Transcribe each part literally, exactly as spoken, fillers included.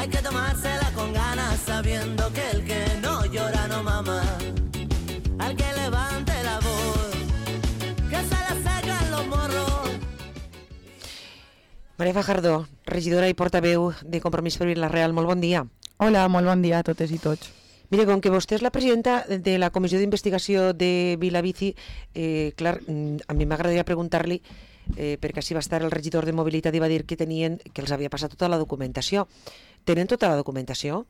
Hay que tomársela con ganas, sabiendo que el que no llora no mama. Al que levante la voz, que se le secan los morros. Maria Fajardo, regidora i portaveu de Compromís per Vila-real, molt bon dia. Hola, molt bon dia a totes i tots. Mire, com que vostè és la presidenta de la Comissió d'Investigació de Vilabici, eh, clar, a mi m'agradaria preguntar-li, eh, perquè així va estar el regidor de Mobilitat i va dir que tenien, que els havia passat tota la documentació. Tenen tota la documentació?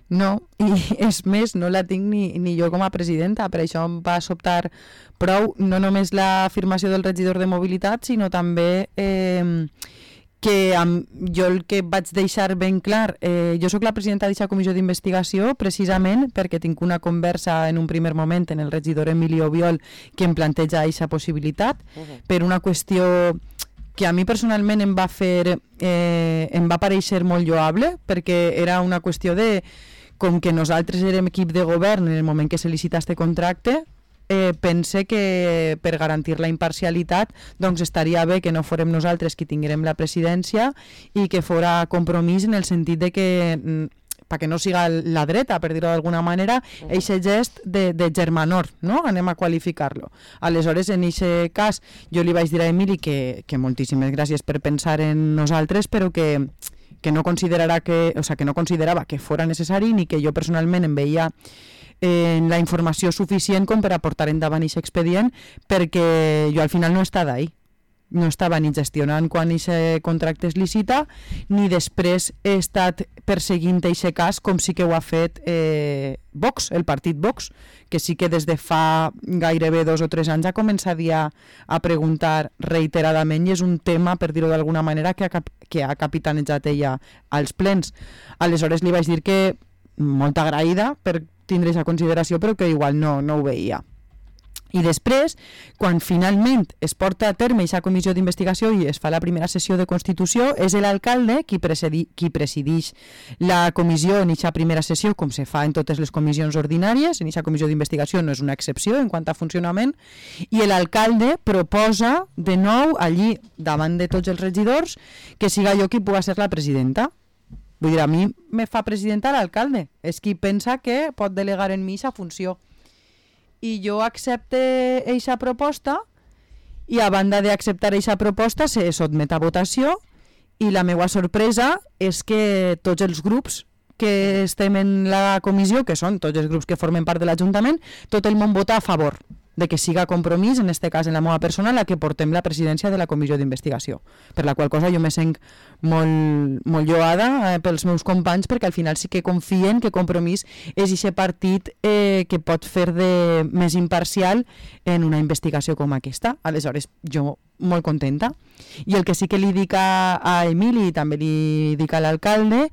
No, i és més, no la tinc ni, ni jo com a presidenta, per això em va sobtar prou no només l'afirmació del regidor de Mobilitat, sinó també eh, que amb, jo el que vaig deixar ben clar, eh, jo sóc la presidenta d'aquesta comissió d'investigació precisament perquè tinc una conversa en un primer moment en el regidor Emilio Biol que em planteja aquesta possibilitat, uh-huh. per una qüestió que a mi personalment em va fer, eh, em va parèixer molt lloable, perquè era una qüestió de, com que nosaltres érem equip de govern en el moment que se licita este contracte, eh, pense que per garantir la imparcialitat doncs estaria bé que no fórem nosaltres qui tinguérem la presidència i que fora Compromís en el sentit de que perquè no siga la dreta, per dir-ho d'alguna manera, eixe gest de, de germanor, no? Anem a qualificar-lo. Aleshores, en eixe cas, jo li vaig dir a Emili que, que moltíssimes gràcies per pensar en nosaltres, però que, que, no considerarà que, o sea, que no considerava que fora necessari ni que jo personalment em veia eh, la informació suficient com per a portar endavant aquest expedient, perquè jo al final no he estat ahí. No estava ni gestionant quan aquest contracte es licita, ni després he estat perseguint aquest cas com sí que ho ha fet eh, Vox, el partit Vox, que sí que des de fa gairebé dos o tres anys ha començat ja a preguntar reiteradament i és un tema, per dir-ho d'alguna manera, que ha, cap que ha capitanejat ella als plens. Aleshores li vaig dir que molt agraïda per tindre aquesta consideració, però que igual no, no ho veia. I després, quan finalment es porta a terme aquesta comissió d'investigació i es fa la primera sessió de Constitució, és l'alcalde qui, qui presideix la comissió en aquesta primera sessió, com se fa en totes les comissions ordinàries. En aquesta comissió d'investigació no és una excepció en quant a funcionament, i l'alcalde proposa de nou allí, davant de tots els regidors, que siga jo qui puga ser la presidenta. Vull dir, a mi me fa presidenta l'alcalde, és qui pensa que pot delegar en mi aquesta funció. I jo accepte eixa proposta i a banda d'acceptar eixa proposta se sotmet a votació i la meva sorpresa és que tots els grups que estem en la comissió, que són tots els grups que formen part de l'Ajuntament, tot el món vota a favor de que siga Compromís, en este cas en la meva persona, la que portem la presidència de la comissió d'investigació, per la qual cosa jo me sent molt, molt lloada eh, pels meus companys, perquè al final sí que confien que Compromís és aquest partit eh, que pot fer de més imparcial en una investigació com aquesta. Aleshores, jo molt contenta. I el que sí que li dic a, a Emili i també li dic a l'alcalde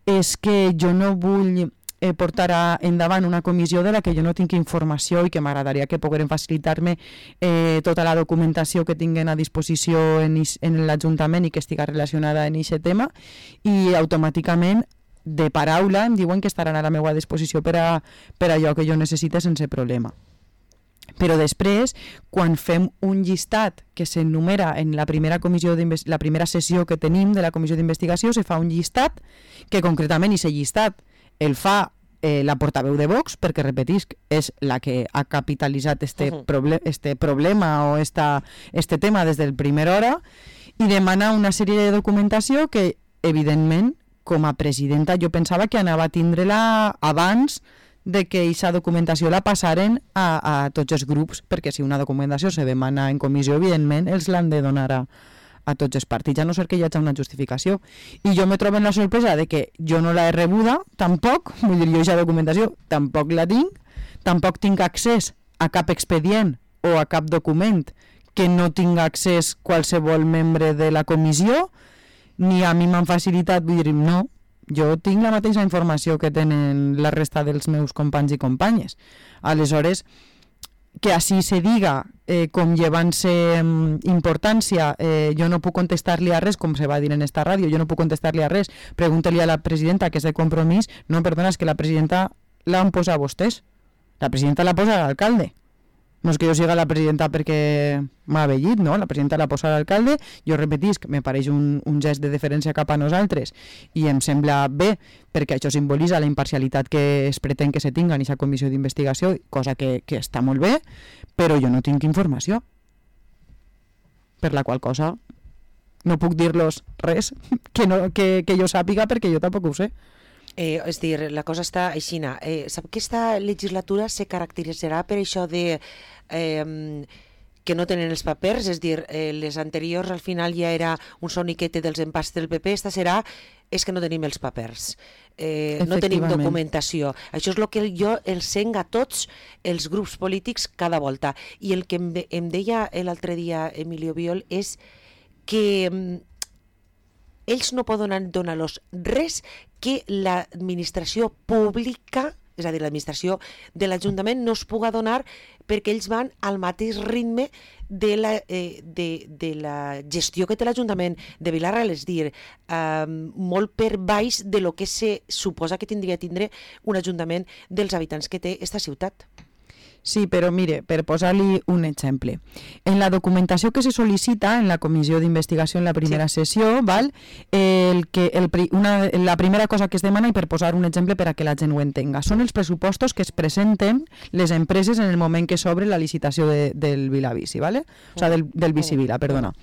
és que jo no vull eh, portar endavant una comissió de la que jo no tinc informació i que m'agradaria que pogueren facilitar-me eh, tota la documentació que tinguen a disposició en, en l'Ajuntament i que estiga relacionada en aquest tema, i automàticament de paraula em diuen que estaran a la meva disposició per a, per a allò que jo necessite sense problema. Però després, quan fem un llistat que s'enumera en la primera, comissió la primera sessió que tenim de la comissió d'investigació, se fa un llistat que concretament aquest llistat el fa eh, la portaveu de Vox, perquè repetisc, és la que ha capitalitzat este, uh-huh. proble este problema o esta, este tema des del primer hora, i demana una sèrie de documentació que, evidentment, com a presidenta jo pensava que anava a tindre-la abans de que aquesta documentació la passaren a, a tots els grups, perquè si una documentació se demana en comissió, evidentment els l'han de donar a, a tots els partits, a no ser que hi hagi una justificació. I jo me trobo en la sorpresa de que jo no la he rebuda, tampoc, vull dir, jo aquesta documentació tampoc la tinc, tampoc tinc accés a cap expedient o a cap document que no tinga accés qualsevol membre de la comissió, ni a mi m'han facilitat, vull dir, no, jo tinc la mateixa informació que tenen la resta dels meus companys i companyes. Aleshores, que així se diga eh, com llevant-se eh, importància, eh, jo no puc contestar-li a res, com se va dir en esta ràdio, jo no puc contestar-li a res, pregunta-li a la presidenta que és de Compromís. No, perdona, és que la presidenta l'han posat vostès, la presidenta la posa l'alcalde. No és que jo siga la presidenta perquè m'ha vellit, no? La presidenta l'ha posat l'alcalde, jo repetisc, me pareix un, un gest de deferència cap a nosaltres i em sembla bé perquè això simbolitza la imparcialitat que es pretén que se tinga en aquesta comissió d'investigació, cosa que, que està molt bé, però jo no tinc informació. Per la qual cosa no puc dir-los res que, no, que, que jo sàpiga perquè jo tampoc ho sé. Eh, és dir, la cosa està aixina. Eh, sap que aquesta legislatura se caracteritzarà per això de eh, que no tenen els papers, és dir, eh, les anteriors al final ja era un soniquete dels empats del P P, esta serà és que no tenim els papers, eh, no tenim documentació. Això és el que jo els sent a tots els grups polítics cada volta. I el que em, em deia l'altre dia Emilio Biol és que eh, ells no poden donar-los res que l'administració pública, és a dir, l'administració de l'Ajuntament no es puga donar perquè ells van al mateix ritme de la, eh, de, de la gestió que té l'Ajuntament de Vilarra, és dir, eh, molt per baix de lo que se suposa que tindria tindre un Ajuntament dels habitants que té esta ciutat. Sí, però mire, per posar-li un exemple. En la documentació que se sol·licita en la comissió d'investigació en la primera sí. sessió, val? El que, el, una, la primera cosa que es demana, i per posar un exemple per a que la gent ho entenga, són els pressupostos que es presenten les empreses en el moment que s'obre la licitació de, del Vilavici, ¿vale? O sea, del, del Vicivila, perdona.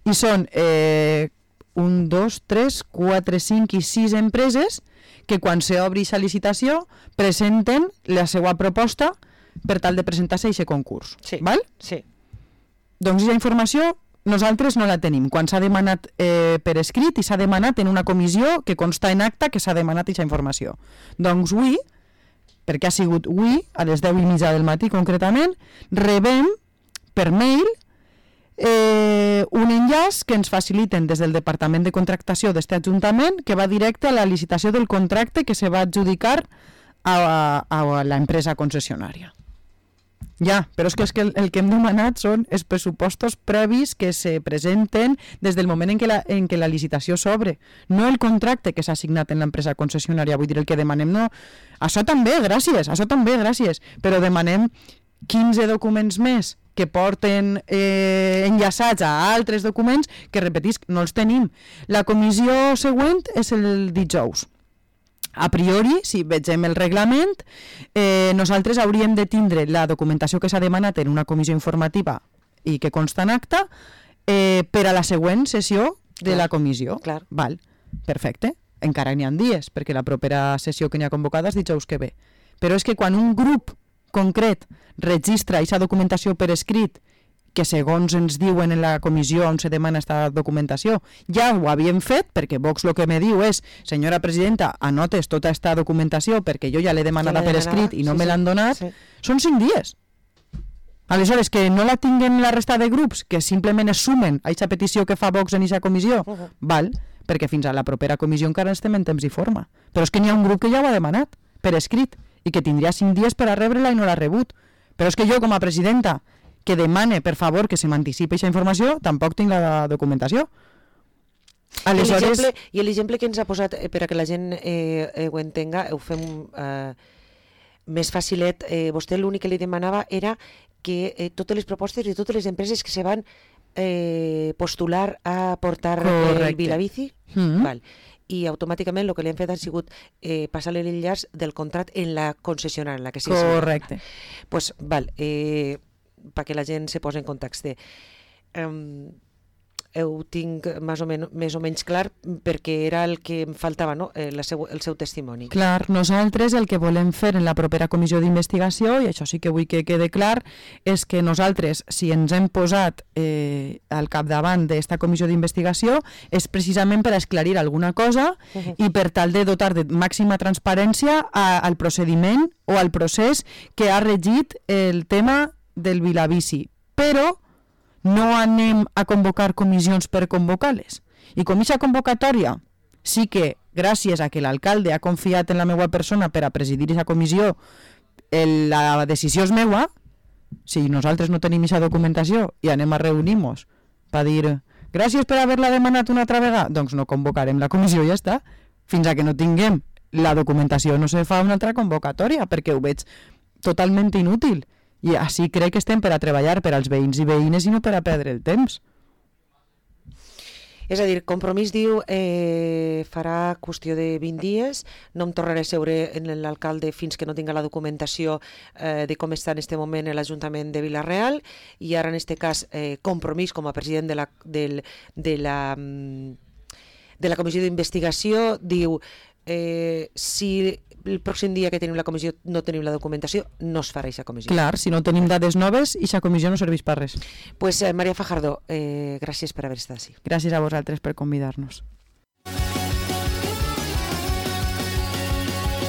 I són eh, un, dos, tres, quatre, cinc i sis empreses que quan s'obri aquesta licitació presenten la seva proposta per tal de presentar-se a aquest concurs. Sí, val? Sí. Doncs aquesta informació nosaltres no la tenim. Quan s'ha demanat eh, per escrit i s'ha demanat en una comissió que consta en acta que s'ha demanat aquesta informació. Doncs avui, perquè ha sigut avui, a les deu i mitja del matí concretament, rebem per mail eh, un enllaç que ens faciliten des del Departament de Contractació d'este Ajuntament que va directe a la licitació del contracte que se va adjudicar a, a, a l'empresa concessionària. Ja, però és que, és que el, el que hem demanat són els pressupostos previs que se presenten des del moment en què la, en què la licitació s'obre, no el contracte que s'ha signat en l'empresa concessionària. Vull dir, el que demanem no... Això també, gràcies, això també, gràcies, però demanem quinze documents més que porten eh, enllaçats a altres documents que, repetisc, no els tenim. La comissió següent és el dijous. A priori, si vegem el reglament, eh, nosaltres hauríem de tindre la documentació que s'ha demanat en una comissió informativa i que consta en acta eh, per a la següent sessió de clar, la comissió. Clar. Val, perfecte. Encara n'hi ha dies, perquè la propera sessió que n'hi ha convocada és dijous que ve. Però és que quan un grup concret registra aquesta documentació per escrit que segons ens diuen en la comissió on se demana aquesta documentació, ja ho havíem fet, perquè Vox el que me diu és, senyora presidenta, anotes tota aquesta documentació perquè jo ja l'he demanada per escrit i no sí, me l'han donat, sí. Són cinc dies. Aleshores, que no la tinguen la resta de grups, que simplement es sumen a aquesta petició que fa Vox en aquesta comissió, uh -huh. val, perquè fins a la propera comissió encara estem en temps i forma. Però és que n'hi ha un grup que ja ho ha demanat, per escrit, i que tindria cinc dies per a rebre-la i no l'ha rebut. Però és que jo, com a presidenta, que demane, per favor, que se m'anticipi aquesta informació, tampoc tinc la documentació. Aleshores... I l'exemple que ens ha posat, eh, per a que la gent eh, eh, ho entenga, ho fem eh, més facilet, eh, vostè l'únic que li demanava era que eh, totes les propostes de totes les empreses que se van eh, postular a portar Correcte. El Vilavici, mm-hmm. val, i automàticament el que li han fet ha sigut eh, passar-li l'enllaç del contracte en la concessionària, en la que sí. Correcte. Doncs, pues, val, eh, perquè la gent se posa en context. Um, ho tinc més o, men més o menys clar perquè era el que em faltava, no? eh, la seu, el seu testimoni. Clar, nosaltres el que volem fer en la propera comissió d'investigació, i això sí que vull que quede clar, és que nosaltres, si ens hem posat eh, al capdavant d'esta comissió d'investigació, és precisament per esclarir alguna cosa uh -huh. i per tal de dotar de màxima transparència a, al procediment o al procés que ha regit el tema del Vilavici. Però no anem a convocar comissions per convocar-les. I com aquesta convocatòria sí que, gràcies a que l'alcalde ha confiat en la meva persona per a presidir aquesta comissió, el, la decisió és meua, si nosaltres no tenim aquesta documentació i anem a reunir-nos per dir gràcies per haver-la demanat una altra vegada, doncs no convocarem la comissió i ja està. Fins a que no tinguem la documentació no se fa una altra convocatòria, perquè ho veig totalment inútil. I així crec que estem per a treballar per als veïns i veïnes i no per a perdre el temps. És a dir, Compromís diu eh, farà qüestió de vint dies, no em tornaré a seure en l'alcalde fins que no tinga la documentació eh, de com està en aquest moment l'Ajuntament de Vila-real, i ara en aquest cas eh, Compromís com a president de la, del, de la, de la comissió d'investigació diu eh, si el pròxim dia que tenim la comissió no tenim la documentació, no es farà aquesta comissió. Clar, si no tenim dades noves, aquesta comissió no serveix per res. Pues eh, Maria Fajardo, eh, gràcies per haver estat així. Gràcies a vosaltres per convidar-nos.